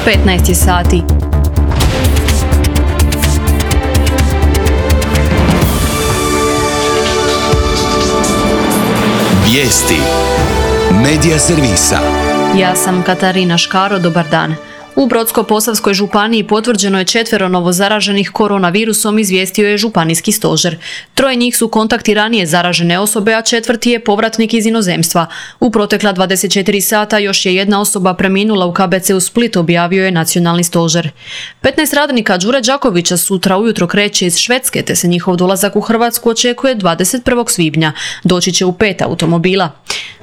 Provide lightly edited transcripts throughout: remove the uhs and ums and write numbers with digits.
15 sati. Vijesti Medija servisa. Ja sam Katarina Škaro, dobar dan. U Brodsko-posavskoj županiji potvrđeno je 4 novozaraženih koronavirusom, izvijestio je županijski stožer. 3 njih su kontakti ranije zaražene osobe, a 4. je povratnik iz inozemstva. U protekla 24 sata još je 1 osoba preminula u KBC u Split, objavio je nacionalni stožer. 15 radnika Đure Đakovića sutra ujutro kreće iz Švedske, te se njihov dolazak u Hrvatsku očekuje 21. svibnja. Doći će u 5 automobila.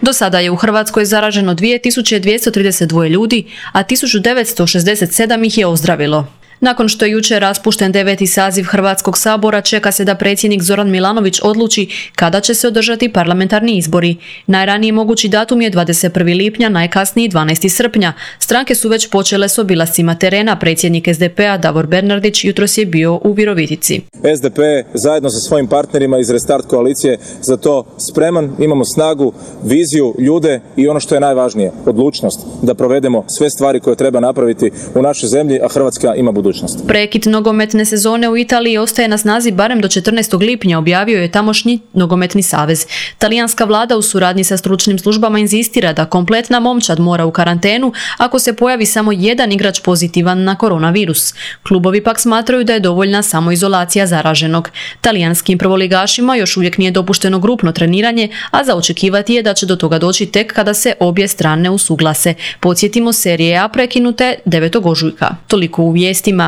Do sada je u Hrvatskoj zaraženo 2232 ljudi, a 1967 ih je ozdravilo. Nakon što je jučer raspušten 9. saziv Hrvatskog sabora, čeka se da predsjednik Zoran Milanović odluči kada će se održati parlamentarni izbori. Najraniji mogući datum je 21. lipnja, najkasniji 12. srpnja. Stranke su već počele s obilascima terena. Predsjednik SDP-a Davor Bernardić jutros je bio u Virovitici. SDP zajedno sa svojim partnerima iz Restart koalicije za to spreman, imamo snagu, viziju, ljude i ono što je najvažnije, odlučnost da provedemo sve stvari koje treba napraviti u našoj zemlji, a Hrvatska ima budućnost. Prekid nogometne sezone u Italiji ostaje na snazi barem do 14. lipnja, objavio je tamošnji nogometni savez. Talijanska vlada u suradnji sa stručnim službama inzistira da kompletna momčad mora u karantenu ako se pojavi samo jedan igrač pozitivan na koronavirus. Klubovi pak smatraju da je dovoljna samoizolacija zaraženog. Talijanskim prvoligašima još uvijek nije dopušteno grupno treniranje, a za očekivati je da će do toga doći tek kada se obje strane usuglase. Podsjetimo, serije A prekinute 9. ožujka. Toliko u vijestima.